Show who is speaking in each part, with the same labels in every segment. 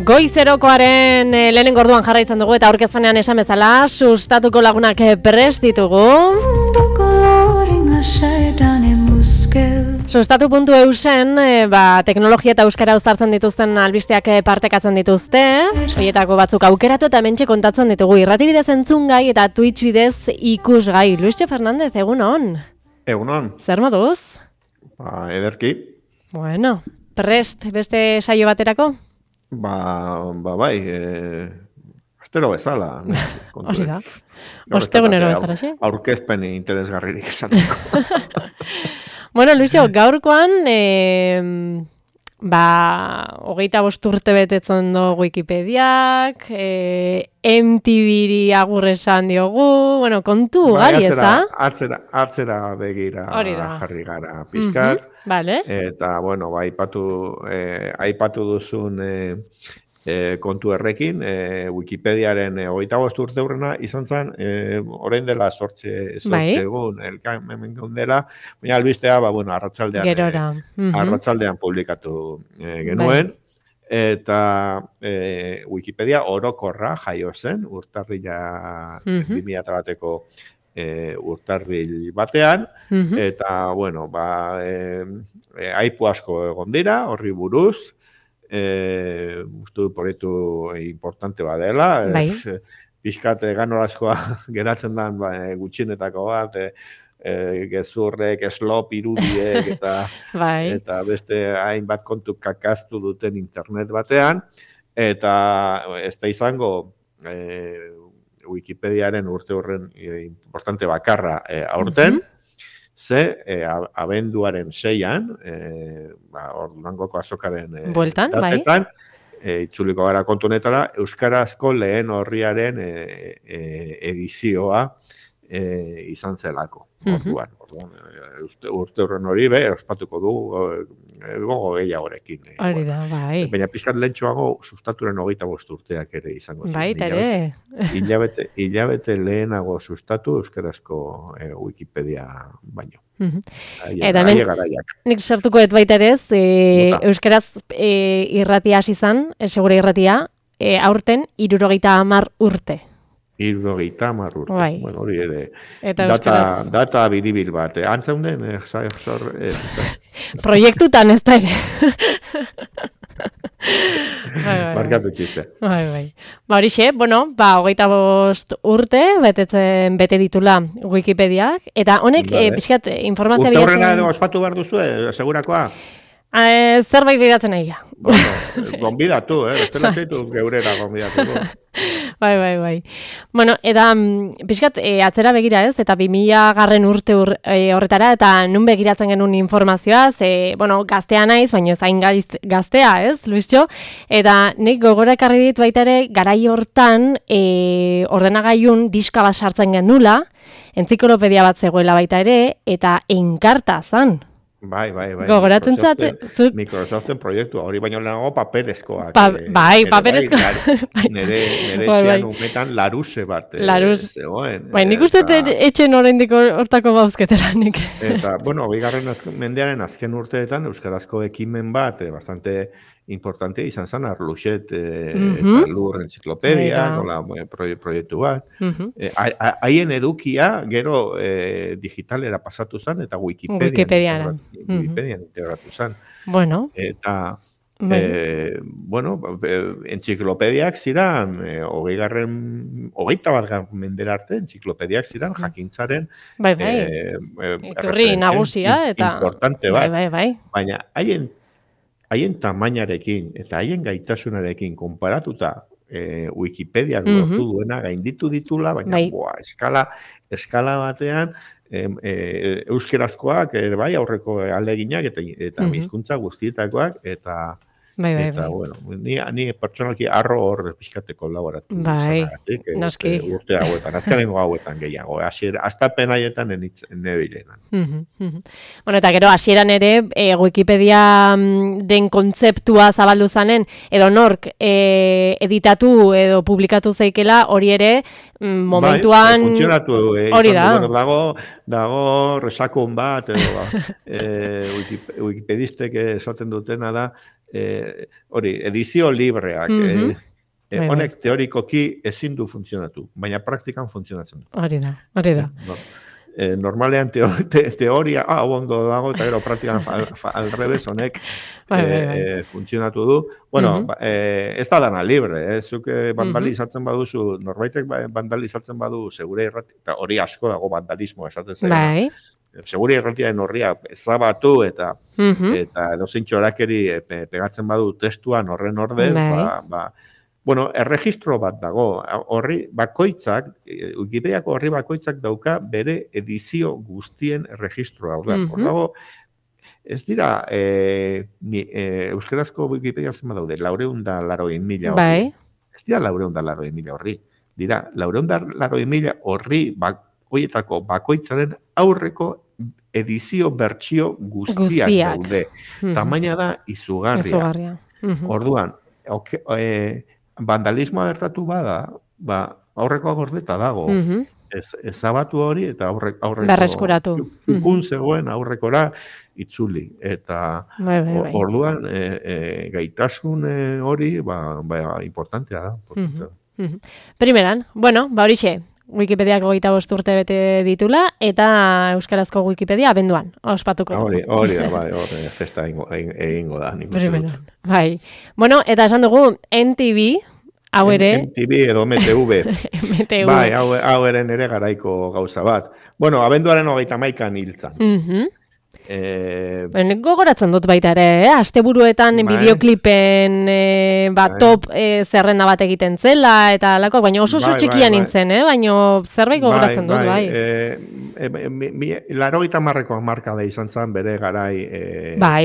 Speaker 1: Goizerokoaren lehenengo orduan jarraitzen dugu eta aurkezpenean esan bezala sustatuko lagunak prest ditugu. Sustatu.eusen teknologia eta euskara uztartzen dituzten albisteak partekatzen dituzte. Horietako batzuk aukeratu eta hementxe kontatzen ditugu irrati bidez entzungai eta Twitch bidez ikusgai. Luisio Fernandez, egunon.
Speaker 2: Egunon.
Speaker 1: Zer moduz?
Speaker 2: Ederki.
Speaker 1: Bueno, prest beste saio baterako?
Speaker 2: Bai, astero bezala.
Speaker 1: Hori da. Ostegunero bezala, xe?
Speaker 2: Aurkezpen interesgarririk esateko.
Speaker 1: Bueno, Luisio, gaurkoan, 25 urte betetzen do Wikipediak, MTV-ri agur esan diogu, bueno, kontu gari, ez da?
Speaker 2: Atzera begira jarri gara pizkat.
Speaker 1: Vale.
Speaker 2: Eta, bueno, aipatu duzun kontu errekin, Wikipediaren 25 urte hurrena izan zen, orain dela 8 egun, hemen gaundela, baina albistea, arratsaldean publikatu genuen, eta Wikipedia orokorra jaio zen, urtarrila 2001ko urtarril batean, eta, bueno, aipu asko egon dira, horri buruz, uste du proiektu importante badela, pixkat ganorazkoa geratzen den gutxienetako bat, gezurrek, eslop, irudiek, eta beste hainbat kontu kakaztu duten internet batean, eta ez da izango Wikipediaren urte horren importante bakarra aurten, abenduaren 6-an, Durangoko azokaren datetan, itzuliko gara kontu honetara, euskarazko lehen orriaren edizioa izan zelako. Urte horren hori, ospatuko du gogo gehiagorekin.
Speaker 1: Hori da, bai.
Speaker 2: Baina pizkat lehentxoago sustaturen 25 urteak ere izango zen.
Speaker 1: Bai, ere.
Speaker 2: Hilabete lehenago sustatu euskarazko Wikipedia baino.
Speaker 1: Eta nik sartuko ez baita ere, euskaraz irratia hasi zen, segure irratia, aurten 70 urte.
Speaker 2: 70 urte.
Speaker 1: Bai.
Speaker 2: Bueno, hori ere.
Speaker 1: Data
Speaker 2: biribil bat. Antzeunden,
Speaker 1: proiektutan ez da ere.
Speaker 2: Markatu txiste.
Speaker 1: Bai. Horixe, 25 urte bete ditula Wikipediak, eta honek pixkat informazioa
Speaker 2: bilatzen... Urte horrena ospatu behar duzu, segurakoa?
Speaker 1: Zerbait bidatzen nahi.
Speaker 2: Gonbidatu, bestela txaitu geurera gonbidatu.
Speaker 1: Bai. Bueno, eta pixkat atzera begira ez, eta 2000 urte horretara, eta nun begiratzen genuen informazioa, gaztea naiz, baina zain gaztea, ez, Luisio? Eta nik gogora ekarri dit baita ere, garai hortan ordenagailun diska bat sartzen genula, entziklopedia bat zegoela baita ere, eta enkarta zan.
Speaker 2: Bai.
Speaker 1: Gogoratzen zate?
Speaker 2: Microsoften proiektua, hori baino lehenago paperezkoak.
Speaker 1: Paperezkoak.
Speaker 2: Nere etxean umetan laruse bat zegoen.
Speaker 1: Bai, nik uste etxen oraindik hortako bauzketela nik.
Speaker 2: Eta, bigarren mendearen azken urteetan euskarazko ekimen bat, bastante importante izan zen, Arluxet eta Lur Entziklopedia, proiektu bat. Haien edukia, gero digitalera pasatu zen, eta Wikipedian integratu zen.
Speaker 1: Bueno.
Speaker 2: Eta, entziklopediak ziren, 21. mendera arte, entziklopediak ziren, jakintzaren
Speaker 1: iturri nagusia, eta
Speaker 2: importante bat.
Speaker 1: Bai.
Speaker 2: Baina, haien tamainarekin eta haien gaitasunarekin konparatuta Wikipediak lortu duena gainditu ditula, baina eskala batean euskerazkoak aurreko aleginak eta hizkuntza guztietakoak eta bueno, ni pertsonalki arro hor pixkate kolaboratu.
Speaker 1: Noski.
Speaker 2: Urte hauetan, azkenengo hauetan gehiago. Aztapen haietan nebilenan.
Speaker 1: Bueno, eta gero, hasieran ere, Wikipedia den kontzeptua zabaldu zanen, edo nork editatu edo publikatu zeikela, hori ere, momentuan...
Speaker 2: Funtzionatu,
Speaker 1: hori da.
Speaker 2: Dago resakon bat, edo wikipedistek esaten dutena da, hori, edizio libreak, honek teorikoki ezin du funtzionatu, baina praktikan funtzionatzen du.
Speaker 1: Hori da.
Speaker 2: Normalean teoria, ondo dago, eta gero praktikan alrebez honek funtzionatu du. Bueno, ez da dana libre, zuk vandalizatzen baduzu, norbaitek vandalizatzen badu segure irrati, eta hori asko dago vandalismoa esaten zaila. Segure irratiaren horria ezabatu eta edozein txorakeri pegatzen badu testuan horren ordez, bueno, erregistro bat dago, horri bakoitzak, Wikipediako horri bakoitzak dauka bere edizio guztien erregistroa. Hor dago, ez dira, euskarazko Wikipedia zenba daude, 480.000 horri. Ez dira 480.000 horri. Dira, 480.000 horri horietako bakoitzaren aurreko edizio bertsio guztiak daude. Tamaina da izugarria. Orduan, vandalismoa gertatu bada, aurrekoa gordeta dago. Ezabatu hori eta aurreko...
Speaker 1: Berreskuratu.
Speaker 2: Ukun zegoen aurrekora itzuli. Eta orduan gaitasun hori importantea da.
Speaker 1: Primeran, bueno, horixe, Wikipediako 25 urte bete ditula, eta euskarazko Wikipedia abenduan, ospatuko.
Speaker 2: Hori da, festa egingo da.
Speaker 1: Primeran, bai. Bueno, eta esan dugu, NTV, hau ere...
Speaker 2: NTV edo MTV.
Speaker 1: MTV.
Speaker 2: Bai, hau ere nere garaiko gauza bat. Bueno, abenduaren 31an hiltzan.
Speaker 1: Gogoratzen dut baita ere, asteburuetan bideoklipen top zerrenda bat egiten zela, eta alako, baina oso txikia nintzen, baina zerbait gogoratzen dut, bai.
Speaker 2: 80 marka da izan zen bere garai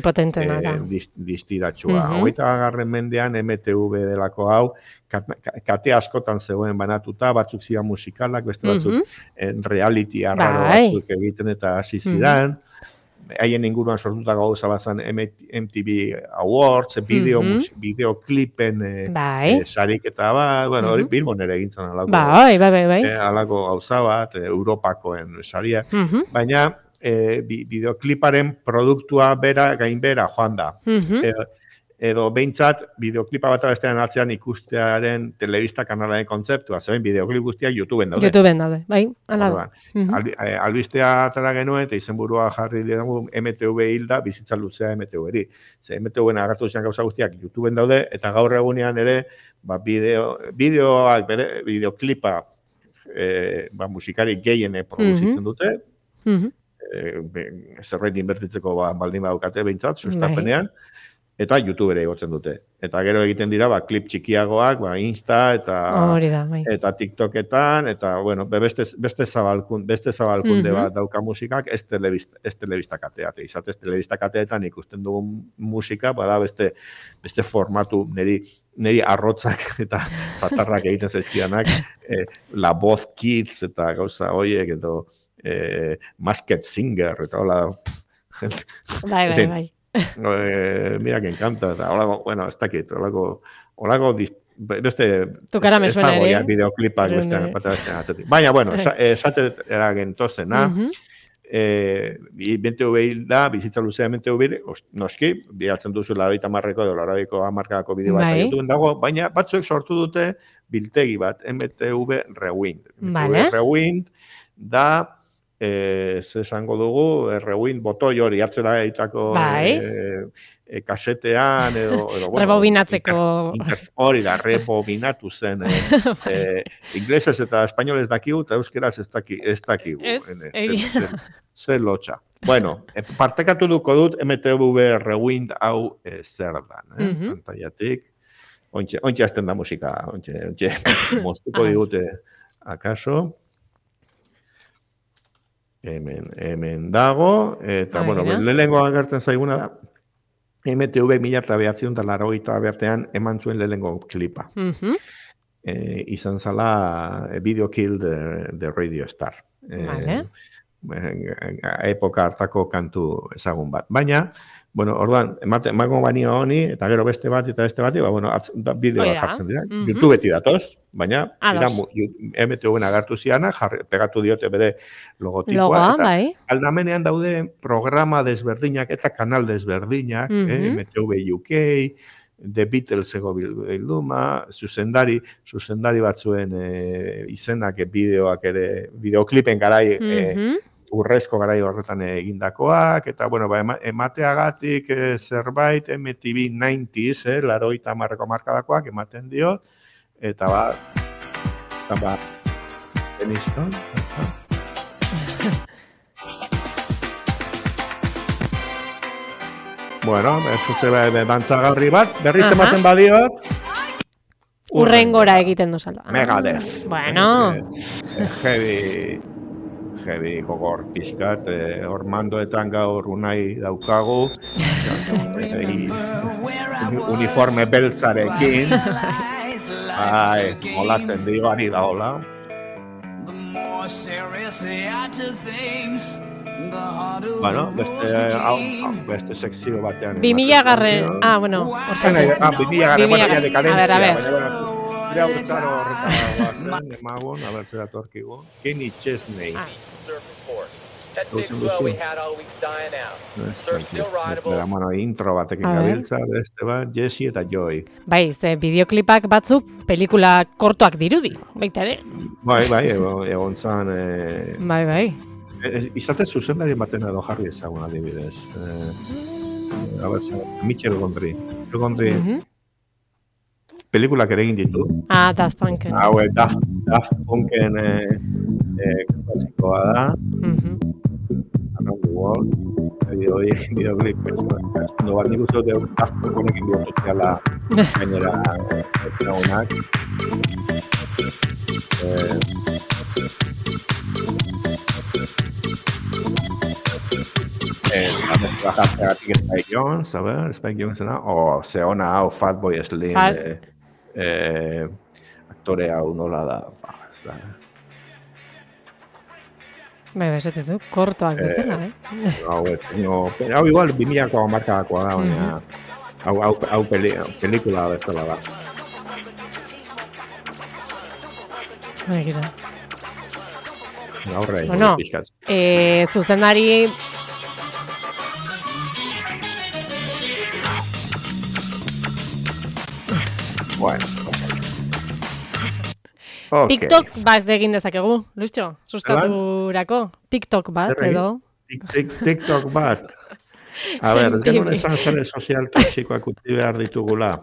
Speaker 1: potentena da.
Speaker 2: Distiratxua. 20. mendean MTV delako hau, kate askotan zegoen banatuta, batzuk ziren musikalak, beste batzuk reality arraro batzuk egiten eta hasi ziren. Haien inguruan sortutako gauza bazan MTV Awards, bideoklipen sariketa bat, bueno, hori Bilbon ere egintzen alako gauza bat, Europakoen saria, baina bideokliparen produktua gainbera joan da. Edo behintzat, bideoklipa bat bestean atzean ikustearen telebista kanalaren kontzeptua, zeben bideoklip guztiak YouTubeen daude.
Speaker 1: YouTubeen daude, bai, ala da.
Speaker 2: Albistea atara genuen, eta izenburua jarri dugu MTV hilda, bizitza luzea MTV-eri. Ze MTV-en agartu zian gauza guztiak YouTubeen daude, eta gaur egunean ere, bideoklipa musikari gehiene produzitzen dute, zerbait inbertitzeko baldin badukate behintzat, sustapenean, eta YouTube ere igotzen dute. Eta gero egiten dira, klip txikiagoak, Insta eta TikToketan, eta, bueno, beste zabalkunde bat dauka musikak, ez telebista kateate. Izatez telebista kateetan ikusten dugun musika, bada beste formatu, niri arrotzak eta zatarrak egiten zaizkidanak, La Voz Kids eta gauza horiek, edo Masked Singer, eta hola...
Speaker 1: Bai.
Speaker 2: Mira que encanta, bueno, ez dakit, holako beste
Speaker 1: tukara me suena ere
Speaker 2: bideoklipak bestean atzetik. Baina, bueno, esatet eragen tozena, BTV da, bizitza luzea MTV, noski, bihaltzen duzu 80ko edo 80ko bideo bat YouTubeen dago, baina batzuek sortu dute biltegi bat, MTV Rewind. Rewind da esango dugu, rewind botoi hori atzera egitako kasetean edo
Speaker 1: rebobinatzeko
Speaker 2: hori da, rebobinatu zen inglesez eta espainolez dakigu eta euskeraz ez dakigu zer lotxa. Bueno, partekatu duko dut MTV Rewind hau zer dan, pantaiatik ontsa azten da musika, ontsa moztuko digute akaso. Hemen dago, eta, bueno, lehenengo agertzen zaiguna da, MTV 1980 eman zuen lehenengo klipa. Izan zala Video Kill the Radio Star. epoka hartako kantu ezagun bat. Baina, bueno, orduan, emango banio honi, eta gero beste bat, eta beste bat, bueno, bideoa jartzen dira. YouTube beti datoz, baina, MTV-en agertu ziana, pegatu diote bere logotipoa. Eta aldamenean daude programa desberdinak eta kanal desberdinak, MTV UK, The Beatles ego bilduma, zuzendari batzuen izenak bideoak ere, bideoklipen garai, urrezko garai horretan egindakoak, eta, bueno, emateagatik zerbait, MTV 90s, 80 markadakoak ematen diot, eta Deniston, bueno, ez dantzagarri bat, berriz ematen badiot.
Speaker 1: Urrengora egiten duzala.
Speaker 2: Megadeth.
Speaker 1: Bueno.
Speaker 2: Heavy gogor pizkat, ormandoetan gaur unai daukagu, uniforme beltzarekin, molatzen digari da hola. Bueno, beste sekzio batean.
Speaker 1: 2000 garren, bueno, orxan.
Speaker 2: 2000 garren, bueno, ya dekadentzia. A ver. Ira urtzaro horretan emagun, a ver, zera torkigu. Kenny Chesney. Bueno, intro batekin gabiltza, beste bat, Jesse eta Joy.
Speaker 1: Bai, ze bideoklipak batzuk pelikula kortoak dirudi, baita ere.
Speaker 2: Bai, egon zan...
Speaker 1: Bai.
Speaker 2: Izate zuzendari baten edo jarri ezagun adibidez. A ver, Michel Gondry. Pelikulak ere egin ditu.
Speaker 1: Daft Punken.
Speaker 2: Daft Punken klasikoa da. Around the World. Bideoklip. No bat nik uste dut Daft Punkenekin biotokiala gainera egunak. Bajatik Spike Jonze, a ver, Spike Jonzena. Ze ona hau, Fatboy Slim. Aktore hau nola da.
Speaker 1: Bai, besetezu, kortoak bezala,
Speaker 2: Hau igual 2000ko markadakoa da, baina hau pelikula bezala da.
Speaker 1: Baina,
Speaker 2: Aurre, pixkatz.
Speaker 1: Zuzendari...
Speaker 2: Bueno, okay.
Speaker 1: TikTok bat egin dezakegu, Luistxo, sustaturako. TikTok bat, edo.
Speaker 2: TikTok bat. A ver, ez genuen esan zare sozial toxikoak utzi behar ditugula.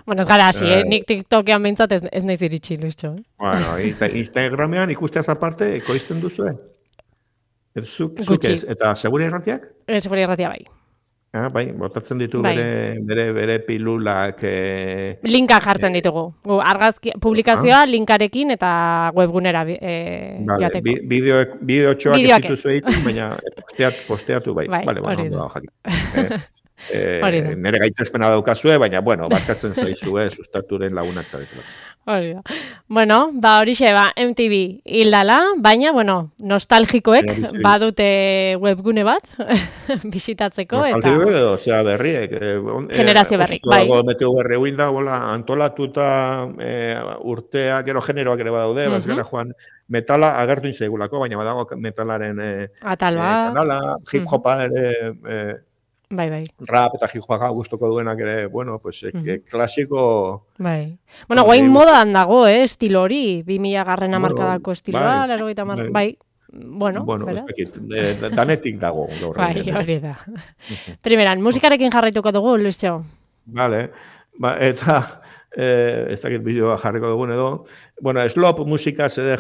Speaker 1: Bueno, ez gara hasi, nik TikTokean behintzat ez naiz iritsi, Luistxo.
Speaker 2: Bueno, Instagramean ikusteaz aparte, ekoizten duzu, Zuk ez, eta seguri erratiak?
Speaker 1: Seguri erratia bai.
Speaker 2: Bai, botatzen ditu bere pilulak...
Speaker 1: Linka jartzen ditugu. Argazki publikazioa linkarekin eta webgunera joateko.
Speaker 2: Bideotxoak ez dituzu egiten, baina posteatu bai. Hori da. Nere gaitzespena daukazue, baina, bueno, barkatzen zaizue sustaturen lagunak zaretela.
Speaker 1: Hori da. Bueno, horixe, MTV hildala, baina, nostalgikoek badute webgune bat bisitatzeko.
Speaker 2: Nostalgikoek edo, zera berriek.
Speaker 1: Generazio berrik, bai.
Speaker 2: MTV berri hilda, antolatuta urtea, gero generoak ere badaude, gara joan metala agertu inzegulako, baina badago metalaren kanala, hip-hopa ere...
Speaker 1: Bai.
Speaker 2: Rap eta hip-hopa gustoko duenak ere, klasiko...
Speaker 1: Bai. Guain modan dago, estilo hori, 2000 garren hamarkadako estiloa, bai. Beraz.
Speaker 2: Danetik dago.
Speaker 1: Bai, hori da. Primeran, musikarekin jarraituko dugu, Luistxo.
Speaker 2: Vale. Eta, ez dakit bideoa jarriko dugun edo. Slop musika zede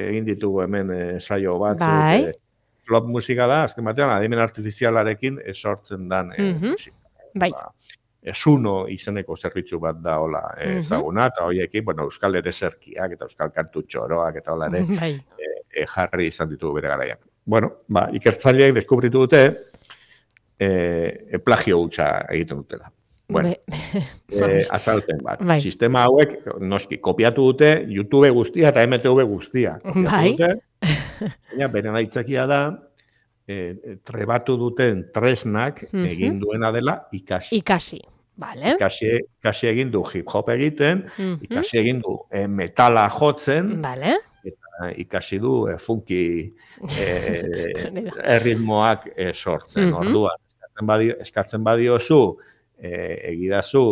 Speaker 2: egin ditugu hemen saio bat.
Speaker 1: Bai.
Speaker 2: Slop musika da, azken batean, adimen artifizialarekin sortzen dan musika.
Speaker 1: Bai.
Speaker 2: Esuno izeneko zerbitzu bat da hola ezaguna, eta horiekin, euskal ere zerkiak eta euskal kantu txoroak eta hola ere jarri izan ditugu bere garaiak. Ikertzaileek deskubritu dute plagio hutsa egiten dutela. Azalpen bat. Sistema hauek, noski, kopiatu dute YouTube guztia eta MTV guztia.
Speaker 1: Bai.
Speaker 2: Baina, beren aitzakia da, trebatu duten tresnak egin duena dela ikasi.
Speaker 1: Ikasi, bale.
Speaker 2: Ikasi egin du hip-hop egiten, ikasi egin du metala jotzen,
Speaker 1: bale.
Speaker 2: eta ikasi du funky erritmoak sortzen. Orduan, eskatzen badiozu, egidazu,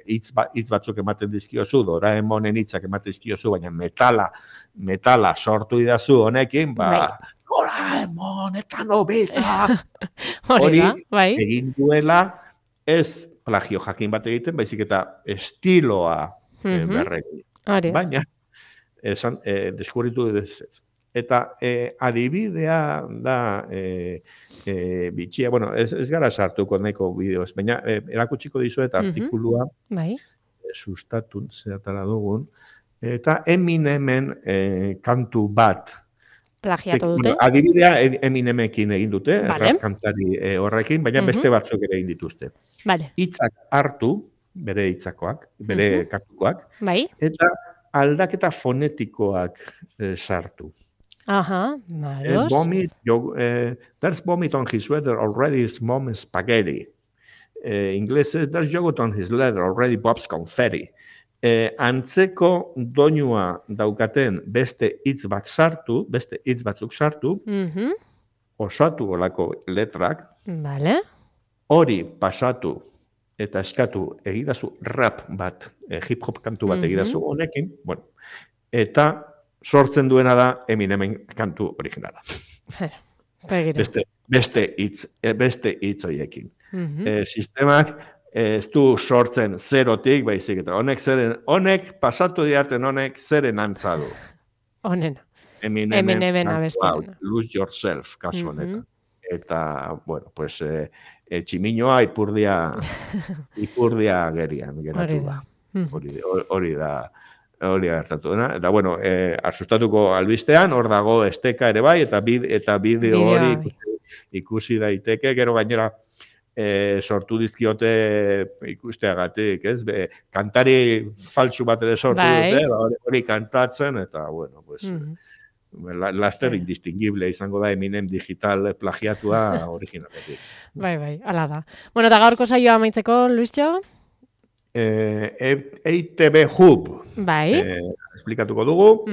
Speaker 2: hitz batzuk ematen dizkiozu, Doraemonen hitzak ematen dizkiozu, baina metala sortu idazu honekin, Doraemon eta Nobita. Hori egin duela, ez plagio jakin bat egiten, baizik eta estiloa berregin. Baina, deskubritu ez. Eta adibidea da bitxia, bueno, ez gara sartuko nahiko bideoz, baina erakutsiko dizuet artikulua sustatun zeatara dugun, eta Eminemen kantu bat
Speaker 1: plagiatu dute.
Speaker 2: Adibidea Eminemekin egin dute, rap kantari horrekin, baina beste batzuk ere egin dituzte. Hitzak hartu, bere hitzakoak, bere kantukoak, eta aldaketa fonetikoak sartu.
Speaker 1: Maros.
Speaker 2: There's vomit on his sweater, already is mom spaghetti. Inglesez, there's yogurt on his leather, already Bob's confetti. Antzeko doinua daukaten beste hitz batzuk sartu, osatu olako letrak, hori pasatu eta eskatu egidazu rap bat, hip-hop kantu bat egidazu honekin, eta sortzen duena da Eminemen kantu originala. Beste hitz horiekin. Sistemak ez du sortzen zerotik, baizik eta honek pasatu diarten honek zeren antza du.
Speaker 1: Honen.
Speaker 2: Eminemen kantu Lose Yourself kasu honetan. Eta, bueno, pues tximinoa ipurdia gerian geratu da. Hori da gertatu dena. Eta, bueno, asustatuko albistean, hor dago esteka ere bai, eta bideo hori ikusi daiteke, gero gainera sortu dizkiote ikusteagatik, ez? Kantari faltsu bat ere sortu dute, hori kantatzen, eta, bueno, pues, laster indistingible izango da Eminem digital plagiatua originaletik.
Speaker 1: Bai, ala da. Bueno, eta gaurko saioa amaitzeko, Luistxo?
Speaker 2: EITB Hub.
Speaker 1: Bai.
Speaker 2: Esplikatuko dugu.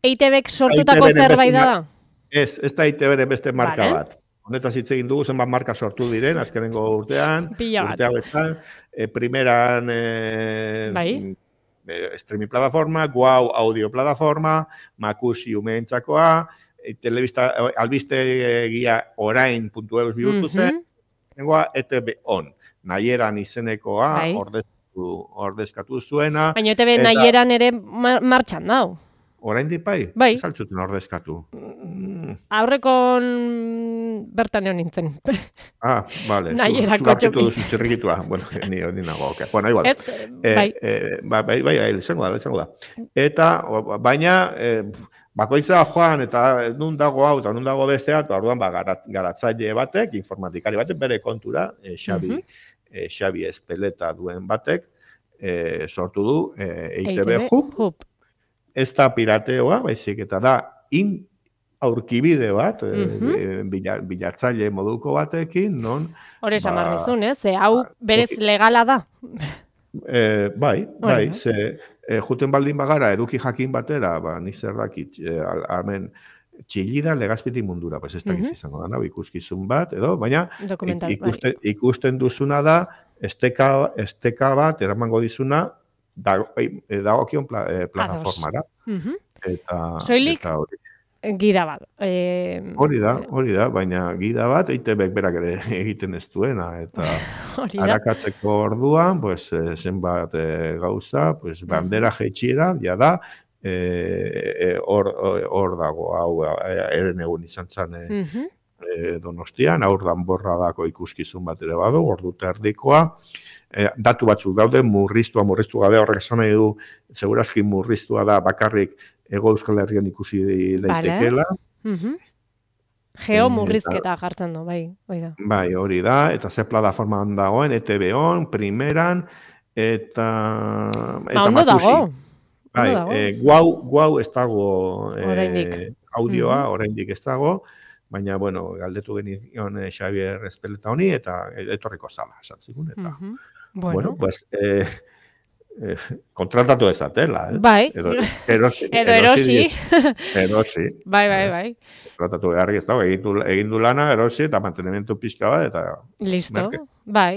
Speaker 1: EITBek sortutako zerbait da?
Speaker 2: Ez da EITBren beste marka bat. Honetaz hitz egin dugu, zenbat marka sortu diren, azkenengo urtean. Urtean, primeran streaming plataforma, Guau audio plataforma, Makusi umeentzakoa, albiste egia orain.eus bihurtu zen, nengoa ETB On, nahieran izenekoa ordezkatu zuena.
Speaker 1: Baina ETB nahieran ere martxan dau.
Speaker 2: Orain bai? Saltzuten ordezkatu.
Speaker 1: Aurrekon bertan egon nintzen.
Speaker 2: Bale.
Speaker 1: Nahierako
Speaker 2: txokin. Duzu zirrikitua. Bueno, ni nago. Bueno, igual. Bai, izango da. Eta, baina, bakoitza joan, eta nun dago hau, eta nun dago bestea, eta orduan garatzaile batek, informatikari batek, bere kontura, Xabi Espeleta duen batek, sortu du EITB Hub. Ez da pirateoa, baizik eta da aurkibide bat, bilatzaile moduko batekin, non...
Speaker 1: Hore esan dizun, ez? Hau berez legala da?
Speaker 2: Bai, juten baldin bagara, eduki jakin batera, ni zer dakit, hemen txillida legazpitik mundura, ez dakiz izango da, ikuskizun bat, edo, baina ikusten duzuna da, esteka bat, eramango dizuna, dagokion plataformara.
Speaker 1: Soilik gida bat.
Speaker 2: Hori da, baina gida bat EITBek berak ere egiten ez duena, eta arakatzeko orduan, zenbat gauza, bandera jetxiera, ja da, hor dago, hau eren egun izan zen Donostian, aurdan borradako ikuskizun bat ere badu, ordu terdikoa, datu batzuk daude, murriztu gabe, horrek esan nahi du, segurazki murriztua da bakarrik Hego Euskal Herrian ikusi daitekela.
Speaker 1: Geomurrizketa jartzen du, bai.
Speaker 2: Bai, hori da, eta ze plataformaan dagoen, ETB On, primeran, eta
Speaker 1: ondo dago.
Speaker 2: guau ez dago audioa, oraindik ez dago, baina, bueno, galdetu genion Xavier Espeleta honi, eta etorriko zala, esatzikun, eta, bueno, pues, kontratatu ezatela,
Speaker 1: Bai.
Speaker 2: Erosi.
Speaker 1: Bai.
Speaker 2: Kontratatu beharrik ez dago, egin du lana, erosi, eta mantenimiento pixka bat, eta...
Speaker 1: Listo. Bai.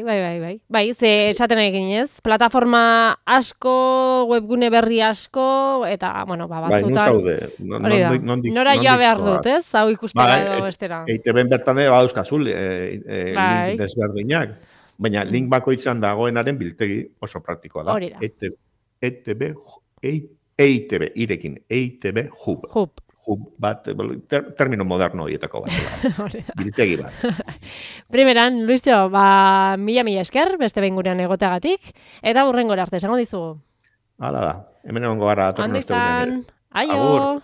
Speaker 1: Bai, ze esaten egin ez, plataforma asko, webgune berri asko, eta, bueno, batzutan...
Speaker 2: Bai,
Speaker 1: nora joa behar dut, ez? Hau ikustera edo bestera.
Speaker 2: EITB-en bertan ere badauzkazul, link desberdinak. Baina link bakoitzan dagoenaren biltegi oso praktikoa da.
Speaker 1: Hori da.
Speaker 2: EITB Hub. Hub bat, termino moderno horietako bat. Biltegi bat.
Speaker 1: Primeran, Luisio, mila esker, beste behin gurean egoteagatik, eta hurrengora arte, esango dizugu.
Speaker 2: Hala da, hemen egongo gara.
Speaker 1: Ondo izan, aio!